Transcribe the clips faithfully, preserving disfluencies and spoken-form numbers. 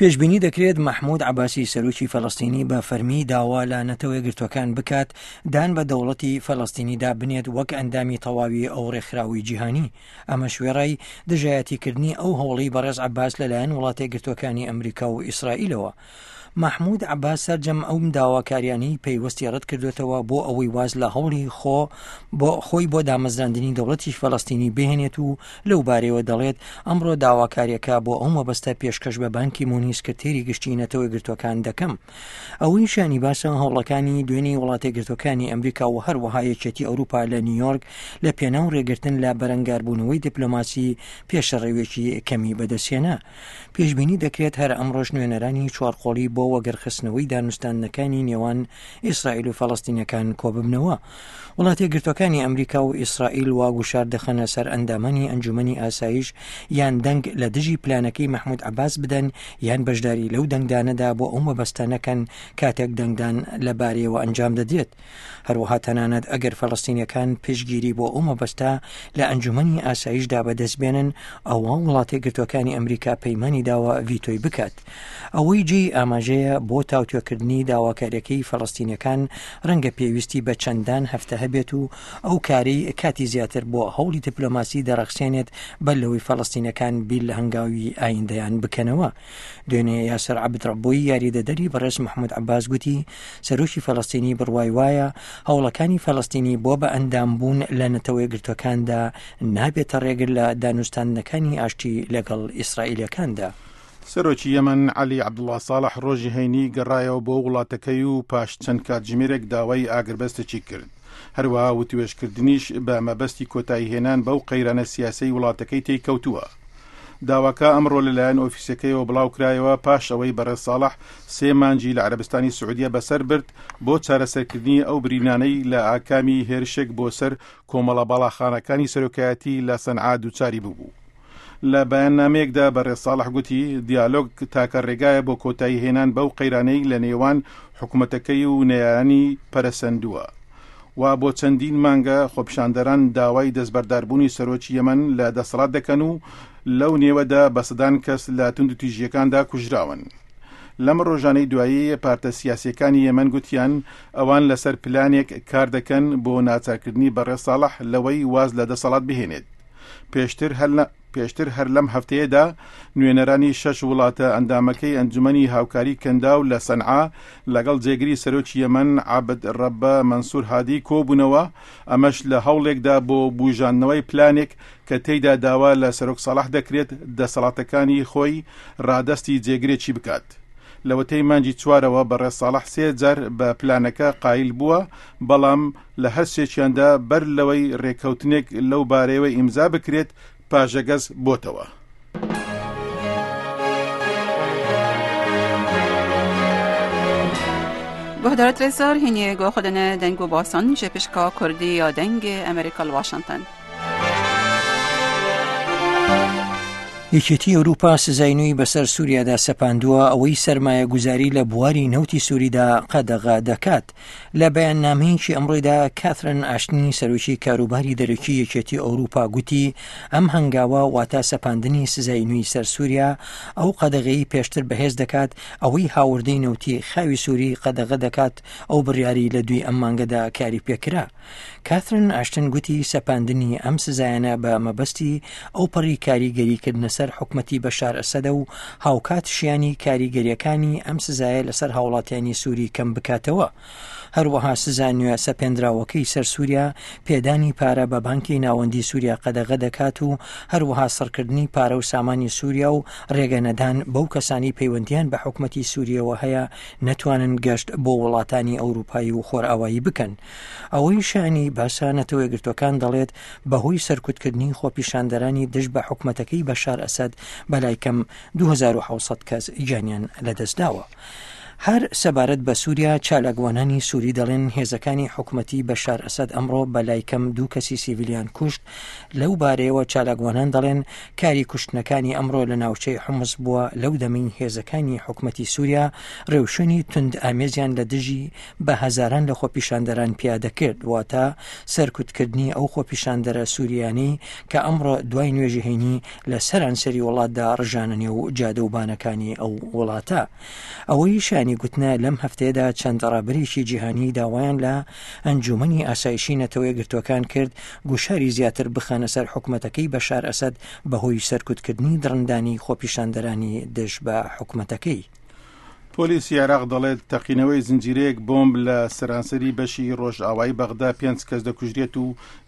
پێشبینی دەکرێت مەحمود عەباسی سەرۆکی فەلەستینی بە فەرمی داوا لە نەتەوە یەکگرتووەکان بکات دان بە دەوڵەتی فەلەستینیدا بنێت وەک ئەندامی تەواوی ئەو ڕێکخراوەی جیهانی. ئەمەش وێڕای دژایەتیکردنی ئەو هەوڵەی بەڕێز عەباس لەلایەن وڵاتە یەکگرتووەکانی ئەمریکا و ئیسرائیلەوە. مەحمود عەباس سەرجەم ئەو داواکاریانەی پەیوەستی ڕەت کردوێتەوە بۆ ئەوەی واز لە هەوڵی خۆ بۆ خۆی بۆ دامەزراندنی دەوڵەتی فەلەستینی بهێنێت و لەو بارەیەوە دەڵێت ئەمڕۆ داواکاریەکە بۆ ئەو مەبەستە پێشکەش بە بانکی مونی سکرتێری گشتی نەتەوە یەکگرتووەکان دەکەم. ئەوەی شانی باسە هەوڵەکانی دوێنێی وڵاتە یەکگرتووەکانی ئەمریکا و هەروەها یەکێتی ئەوروپا لە نیویۆرک لە پێناو ڕێگرتن لە بەرەنگاربوونەوەی دیپلۆماسی پێشڕەویەکی کەمی بەدەستهێنا. پێشبینی دەکرێت هەر ئەمڕۆش نوێنەرانی چوارقۆڵی بۆ وەگەرخستنەوەی دانوستاندنەکانی نێوان ئیسرائیل و فەلەستینەکان کۆببنەوە. وڵاتە یەکگرتووەکانی ئەمریکا و ئیسرائیل وا گوشار دەخەنە سەر ئەندامانی ئەنجومەنی ئاسایش یان دەنگ لە دژی پلانەکەی مەحمود عەباس بدەن یان بەشداری لەو دەنگدانەدا بۆ ئەو مەبەستە نەکەن کاتێک دەنگدان لەبارەیەوە ئەنجام دەدرێت. هەروەها تەنانەت ئەگەر فەلەستینیەکان پشتگیری بۆ ئەو مەبەستە لە ئەنجومەنی ئاسایشدا بەدەست بێنن، ئەوە وڵاتە یەکگرتووەکانی ئەمریکا پەیمانی داوە ڤیتۆی بکات. ئەوەی جێی ئاماژەیە بۆ تاوتوێکردنی داواکاریەکەی فەلەستینیەکان ڕەنگە پێویستی بە چەندان هەفتە هەبێت و ئەو کارەی کاتی زیاتر بۆ هەوڵی دیپلۆماسی دەڕەخسێنێت بەر لەوەی فەلەستینەکان بیر لە هەنگاوی ئایندەیان بکەنەوە. دوێنێ یاسر عەبد ڕەبۆی یاریدەدەری بەڕێز محمود عەباس گوتی سەرۆکی فەلەستینی بڕوای وایە هەوڵەکانی فەلەستینی بۆ بە ئەندامبوون لە نەتەوە یەکگرتووەکاندا نابێتە ڕێگر لە دانوستاندنەکانی ئاشتی لەگەڵ ئیسرائیلەکاندا. سەرۆکی یەمەن عەلی عەبدوڵڵا ساڵح ڕۆژی هەینی گەڕایەوە بۆ وڵاتەکەی و پاش چەند کاتژمێرێک داوای ئاگربەستێکی کرد. هەروەها وتوێژکردنیش بە مەبەستی کۆتاییهێنان بەو قەیرانە سیاسەی وڵاتەکەی تێیکەوتووە. داواکە ئەمڕۆ لەلایەن ئۆفیسەکەیەوە بڵاوکرایەوە پاش ئەوەی بەڕێز ساڵح سێ مانگی لە عەرەبستانی سعودیە بەسەر برد بۆ چارەسەرکردنی ئەو برینانەی لە ئاکامی هێرشێک بۆ سەر کۆمەڵە باڵاخانەکانی سەرۆکایەتی لە سەنعا دووچاری ببوو. لە بەیاننامەیەکدا بەڕێز ساڵح گوتی دیالۆگ تاکە ڕێگایە بۆ کۆتایی هێنان بەو قەیرانەی لە نێوان حکوومەتەکەی و نەیارانی پەرەسەندووە. و بۆ چەندین مانگە خۆپیشاندەران داوای دەستبەرداربوونی سەرۆکی یەمەن لە دەسەڵات دەکەن و لەو نێوەدا بە سەدان کەس لە توندوتیژیەکاندا کوژراون. لەم ڕۆژانەی دوایی پارتە سیاسیەکانی یەمەن گوتیان ئەوان لەسەر پلانێک کار دەکەن بۆ ناچارکردنی بەڕێز ساڵح لەوەی واز لە دەسەڵات بهێنێت. پێشتر هەر پێشتر هەر لەم هەفتەیەدا نوێنەرانی شەش وڵاتە ئەندامەکەی ئەنجومەنی هاوکاری کەنداو لە سەنعا لەگەڵ جێگری سەرۆکی یەمەن عەبد ڕەبە مەنسوور هادی کۆبوونەوە، ئەمەش لە هەوڵێکدا بۆ بوژاندنەوەی پلانێک کە تێیدا داوا لە سەرۆک ساڵح دەکرێت دەسەڵاتەکانی خۆی ڕادەستی جێگرێکی بکات. لەوەتەی مانگی چوارەوە بەڕێز ساڵح سێ جار بە پلانەکە قایل بووە، بەڵام لە هەر سێکیاندا بەر لەوەی ڕێککەوتنێک لەو بارەیەوە ئیمزا بکرێت پاژەگەز بۆتەوە. گوهدارت رزار هینی گو خودن دنگ و باسان جپشکا کردی یا دنگ ئەمریکا واشنگتن. یەکێتی ئەوروپا سزای نوێی بەسەر سووریادا سەپاندووە، ئەوەی سەرمایەگوزاری لە بواری نەوتی سووریدا قەدەغە دەکات. لە بەیاننامەیەکی ئەمڕۆیدا کاترن ئاشتنی سەرۆکی کاروباری دەرەکی یەکێتی ئەوروپا گوتی ئەم هەنگاوە واتە سەپاندنی سزای نوێی سەر سووریا ئەو قەدەغەی پێشتر بەهێز دەکات، ئەوەی هاوردەی نەوتی خاوی سووری قەدەغە دەکات. ئەو بڕیاری لە دوی ئەم مانگەدا کاری پێکرا. کاترن ئاشتن گوتی سەپاندنی ئەم سزایانە بە مەبەستی ئەو پەڕی کاریگەریکردنە سەر حکومەتی بەشار ئەسەدە و هاوکات شیانی کاریگەریەکانی ئەم سزایە لەسەر هاوڵاتیانی سووری کەم بکاتەوە. هەروەها سزا نوێ سەپێندراوەکەی سەر سووریا پێدانی پارە بە بانکی ناوەندی سووریا قەدەغە دەکات و هەروەها سڕکردنی پارە و سامانی سووریا و ڕێگە نەدان بەو کەسانی پەیوەندیان بە حکومەتی سووریەوە هەیە نەتوانن گەشت بۆ وڵاتانی ئەوروپایی و خۆرئاوایی بکەن. ئەوەی شانی باسە نەتەوە یەکگرتووەکان دەڵێت بەهۆی سەرکوتکردنی خۆپیشاندەرانی دژ بە حکومەتەکەی بەشار ئەسەد بەلای کەم دوو هەزار و حەوت سەد کەس گیانیان لەدەستداوە. هەر سەبارەت بە سووریا، چالاکوانانی سووری دەڵێن هێزەکانی حکومەتی بەشار ئەسەد ئەمڕۆ بەلای کەم دوو کەسی سیڤیلیان کوشت. لەو بارەیەوە چالاکوانان دەڵێن کاری کوشتنەکانی ئەمڕۆ لە ناوچەی حمس بووە لەو دەمەی هێزەکانی حکومەتی سووریا ڕێوشوێنی توند ئامێزیان لە دژی بە هەزاران لە خۆپیشاندەران پیادە کرد، واتە سەرکوتکردنی ئەو خۆپیشاندەرە سووریانەی کە ئەمڕۆ دوای نوێژی هەینی لە سەرانسەری وڵاتدا ڕژانە نێو جادە و بانەکانی ئەو وڵاتە. ئەوەی شانی گوتنە لەم هەفتەیەدا چەند ڕابەرێکی جیهانی داوایان لە ئەنجومەنی ئاسایشی نەتەوە یەکگرتووەکان کرد گوشاری زیاتر بخەنە سەر حکومەتەکەی بەشار ئەسەد بەهۆی سەرکوتکردنی دڕندانی خۆپیشاندەرانی دژ بە حکومەتەکەی. پۆلیسی عێراق دەڵێت تەقینەوەی زنجیرەیەک بۆمب لە سەرانسەری بەشی ڕۆژئاوای بەغدا پێنج کەس دەکوژرێت و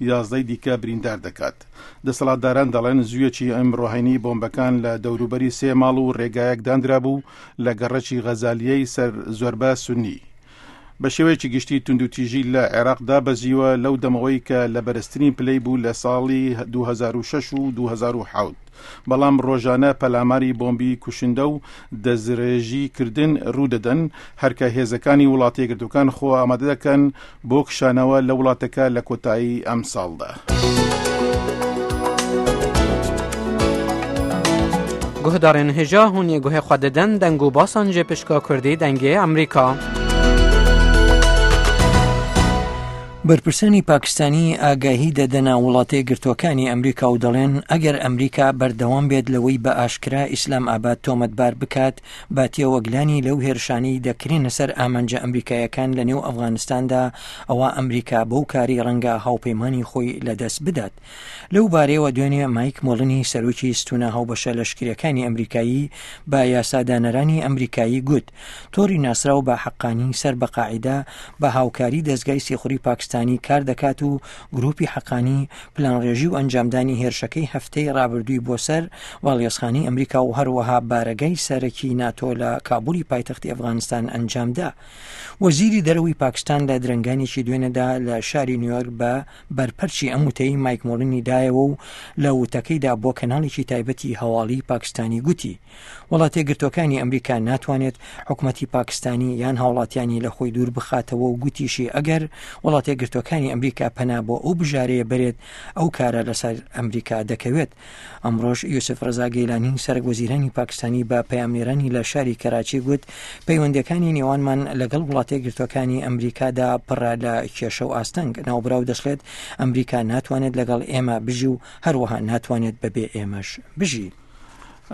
یازدەی دیکە بریندار دەکات. دەسەڵاتداران دەڵێن زوویەکی ئەمڕۆ هەینی بۆمبەکان لە دەوروبەری سێ ماڵ و ڕێگایەک دانرابوو لە گەڕەکی غەزالیەی سەر زۆربە سونی. بە شێوەیەکی گشتی توندوتیژی لە عێراقدا بەزیوە لەو دەمەوەی کە لە بەرزترین پلەی بوو لە ساڵی دوو هەزار و شەش و دوو هەزار و حەوت، بەڵام ڕۆژانە پەلاماری بۆمبی کوشندە و دەستڕێژی کردن ڕوودەدەن، هەرکە هێزەکانی وڵاتە یەکگرتووەکان خۆ ئامادە دەکەن بۆ کشانەوە لە وڵاتەکە لە کۆتایی ئەم ساڵدا. گوهدارên hêja hûn ê guhê xwe didin deng û basan ji pişka Kurdî dengê Amerîka. بەرپرسانی پاکستانی ئاگاهی دەدەنە وڵاتە یەکگرتووەکانی ئەمریکا و دەڵێن ئەگەر ئەمریکا بەردەوام بێت لەوەی بە ئاشکرا ئیسلام ئاباد تۆمەتبار بکات با تێوەگلانی لەو هێرشانەی دەکرێنە سەر ئامانجە ئەمریکایەکان لە نێو ئەفغانستاندا، ئەوە ئەمریکا بەو کاری ڕەنگە هاوپەیمانی خۆی لەدەست بدات. لەو بارەیەوە دوێنێ مایک مۆڵنی سەرۆکی ستونە هاوبەشە لەشکریەکانی ئەمریکایی بە یاسادانەرانی ئەمریکایی گوت تۆڕی ناسراو بە حەقانی سەر بە قاعیدە بە هاوکاری دەستگای سیخوڕی پاکستانی کار دەکات و گروپی حەقانی پلانڕێژی و ئەنجامدانی هێرشەکەی هەفتەی ڕابردووی بۆ سەر باڵیۆزخانەی ئەمریکا و هەروەها بارەگای سەرەکی ناتۆ لە کابولی پایتەختی ئەفغانستان ئەنجامدا. وەزیری دەرەوەی پاکستان لە درەنگانێکی دوێنێدا لە شاری نیویۆرک بە بەرپەرچی ئەم وتەی مایک مۆڵنی دایەوە و لە وتەکەیدا بۆ کەناڵێکی تایبەتی هەواڵی پاکستانی گوتی وڵاتە یەکگرتووەکانی ئەمریکا ناتوانێت حکومەتی پاکستانی یان هاوڵاتیانی لە خۆی دوور بخاتەوە و گوتیشی ئەگەر وڵاتە یەکگرتووەکانی ئەمریکا پەنا بۆ ئەو بژارەیە بەرێت ئەو کارە لەسەر ئەمریکا دەکەوێت. ئەمڕۆژ یوسف ڕەزا گەیلانی سەرۆک وەزیرانی پاکستانی بە پەیامنێرانی لە شاری کەراچی گوت پەیوەندیەکانی نێوانمان لەگەڵ وڵاتە یەکگرتووەکانی ئەمریکادا پڕە لە کێشە و ئاستەنگ. ناوبراو دەشڵێت ئەمریکا ناتوانێت لەگەڵ ئێمە بژی و هەروەها ناتوانێت بەبێ ئێمەش بژی.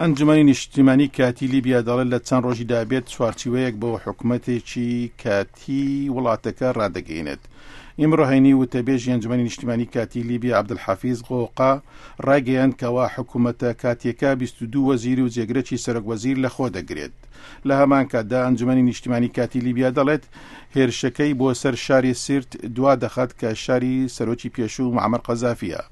ئەنجومەنی نیشتیمانی کاتی لیبیا دەڵێت لە چەند ڕۆژیدا بێت چوارچیوەیەک بۆ حکوومەتێکی کاتی وڵاتەکە ڕادەگەینێت. ئیمڕۆ هەینی وتەبێژی ئەنجومەنی نیشتیمانی کاتی لیبیا عەبدولحەفیز غۆقا ڕایگەیاند کەوا حکوومەتە کاتیەکە بیست و دوو وەزیر و جێگرەکی سەرۆک وەزیر لەخۆ دەگرێت. لە هەمان کاتدا ئەنجومەنی نیشتیمانی کاتی لیبیا دەڵێت هێرشەکەی بۆ سەر شاری سیرت دوا دەخات کە شاری سەرۆکی پێشوو معەمەر قەزافیە.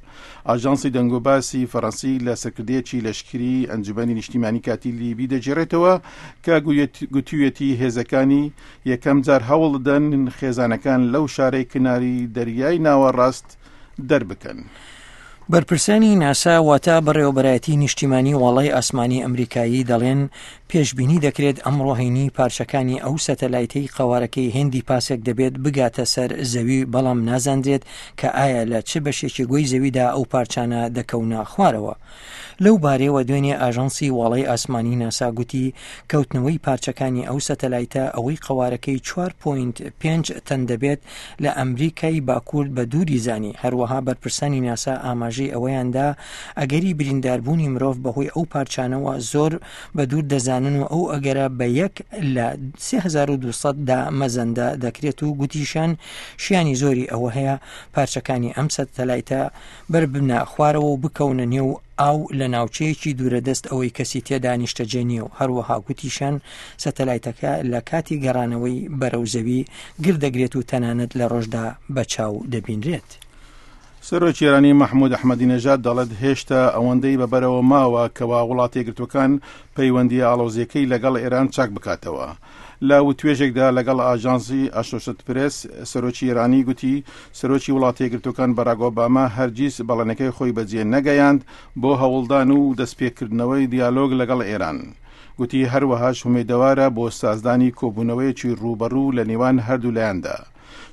ئاژانسی دەنگۆباسی فەڕەنسی لە سەرکردەیەکی لەشکری ئەنجومەنی نیشتیمانی کاتی لیبی دەگێڕێتەوە کە گوتویەتی هێزەکانی یەکەم جار هەوڵ دەدەن خێزانەکان لەو شارەی کناری دەریای ناوەڕاست دەربکەن. بەرپرسانی ناسا واتە بەڕێوەبەرایەتی نیشتیمانی واڵای ئاسمانی ئەمریکایی دەڵێن پێشبینی دەکرێت ئەمڕۆ هەینی پارچەکانی ئەو سەتەلایتەی قەوارەکەی هێندی پاسێک دەبێت بگاتە سەر زەوی، بەڵام نازاندرێت کە ئایا لە چ بەشێکی گۆی زەویدا ئەو پارچانە دەکەونە خوارەوە. لەو بارەیەوە دوێنێ ئاژانسی واڵای ئاسمانی ناسا گوتی کەوتنەوەی پارچەکانی ئەو سەتەلایتە ئەوەی قەوارەکەی چوار پۆینت پێنج تەن دەبێت لە ئەمریکای باکوور بە دووری زانی. هەروەها بەرپرسانی ناسا ئاماژەی ئەوەیاندا ئەگەری برینداربوونی مرۆڤ بەهۆی ئەو پارچانەوە زۆر بە دوور دەزانن و ئەو ئەگەرە بە یەک لە سێ هەزار و دوو سەد دا مەزەندە دەکرێت و گوتیشان شیانی زۆری ئەوە هەیە پارچەکانی ئەم سەتەلایتە بەربنە خوارەوە و بکەونە نێو ئاو لە ناوچەیەکی دوورەدەست ئەوەی کەسی تێدا نیشتەجێ نییە و هەروەها گوتیشان سەتەلایتەکە لە کاتی گەڕانەوەی بەرەو زەوی گردەگرێت و تەنانەت لە ڕۆژدا بە چاو دەبینرێت. سەرۆکی ئێرانی مەحموود ئەحمەدی نەژاد دەڵێت هێشتا ئەوەندەی بەبەرەوە ماوە کەوا وڵاتە یەکگرتووەکان پەیوەندیە ئاڵۆزیەکەی لەگەڵ ئێران چاک بکاتەوە. لە وتوێژێکدا لەگەڵ ئاژانسی ئەسۆشیتد پرێس سەرۆکی ئێرانی گوتی سەرۆکی وڵاتە یەکگرتووەکان باراک ئۆباما هەرگیز بەڵێنەکەی خۆی بەجێ نەگەیاند بۆ هەوڵدان و دەستپێکردنەوەی دیالۆگ لەگەڵ ئێران. گوتی هەروەهاش هومێدەوارە بۆ سازدانی کۆبوونەوەیەکی ڕووبەڕوو لە نێوان هەردوو لایەندا.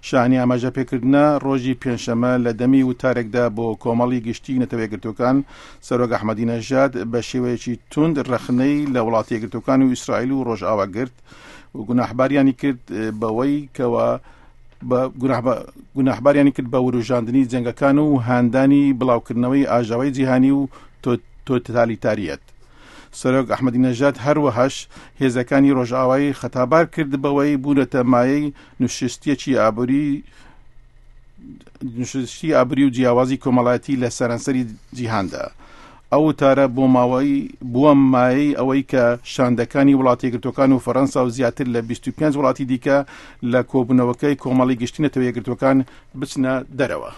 شانی ئاماژە پێکردنە ڕۆژی پێنجشەممە لە دەمی وتارێکدا بۆ کۆمەڵی گشتی نەتەوە یەکگرتووەکان سەرۆک ئەحمەدی نەژاد بە شێوەیەکی توند ڕەخنەی لە وڵاتە یەکگرتووەکان و ئیسرائیل و ڕۆژئاوا گرت و گوناحباریانی کرد بەوەی کەوا بە گوناحباریانی کرد بە وروژاندنی جەنگەکان و هاندانی بڵاوکردنەوەی ئاژاوەی جیهانی و تۆتالیتاریەت. سەرۆک ئەحمەدی نەژاد هەروەهاش هێزەکانی ڕۆژئاوای خەتابار کرد بەوەی بوونەتە مایەی نوشستیەکی ئابووری نوشستی ئابووری و جیاوازی کۆمەڵایەتی لە سەرانسەری جیهاندا. ئەو وتارە بۆ ماوەی بووە مایەی ئەوەی کە شاندەکانی وڵاتی یەکگرتووەکان و فەرەنسا و زیاتر لە بیست و پێنج وڵاتی دیکە لە کۆبوونەوەکەی کۆمەڵی گشتی نەتەوە یەکگرتووەکان بچنە دەرەوە.